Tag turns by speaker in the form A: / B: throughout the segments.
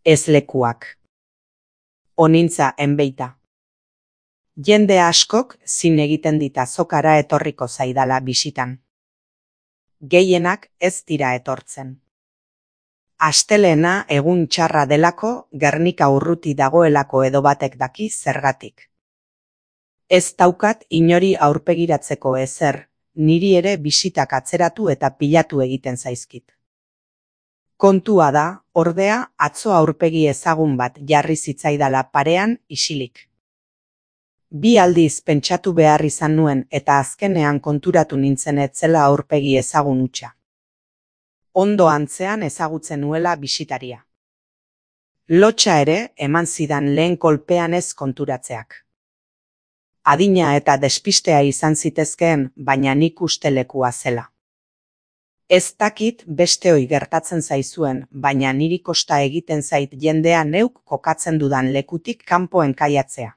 A: Ez lekuak. Onintza enbeita. Jende askok zin egiten dit azokara etorriko zaidala bisitan. Gehienak ez dira etortzen. Astelehena egun txarra delako, Gernika urruti dagoelako edo batek daki zergatik. Ez daukat inori aurpegiratzeko ezer, niri ere bisitak atzeratu eta pilatu egiten zaizkit. Kontua da, ordea, atzo aurpegi ezagun bat jarri zitzaidala parean isilik. 2 aldiz pentsatu behar izan nuen eta azkenean konturatu nintzen ez zela aurpegi ezagun hutsa. Ondo antzean ezagutzen nuela bisitaria. Lotsa ere eman zidan lehen kolpean ez konturatzeak. Adina eta despistea izan zitezkeen, baina nik uste lekua zela. Ez dakit besteoi gertatzen zaizuen, baina niri kosta egiten zait jendea neuk kokatzen dudan lekutik kanpo enkaiatzea.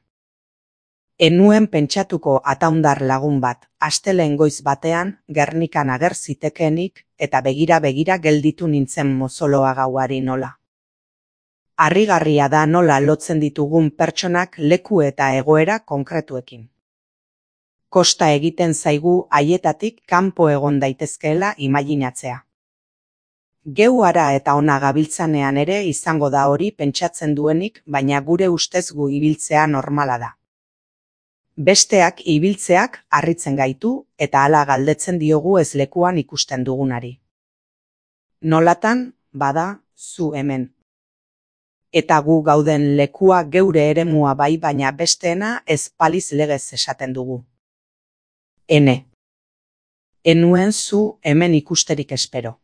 A: Enuen pentsatuko ataundar lagun bat, astelehen goiz batean, Gernikan ager zitekeenik, eta begira gelditu nintzen mozoloa gauari nola. Harrigarria da nola lotzen ditugun pertsonak leku eta egoera konkretuekin. Kosta egiten zaigu haietatik kanpo egon daitezkeela imaginatzea. Geu hara eta ona gabiltzanean ere izango da hori pentsatzen duenik, baina gure ustez gu ibiltzea normala da. Besteak ibiltzeak harritzen gaitu eta hala galdetzen diogu ez lekuan ikusten dugunari. Nolatan, bada, zu hemen. Eta gu gauden lekua geure eremua bai baina besteena ez paliz legez esaten dugu. Ene. Enuen zu hemen ikusterik espero.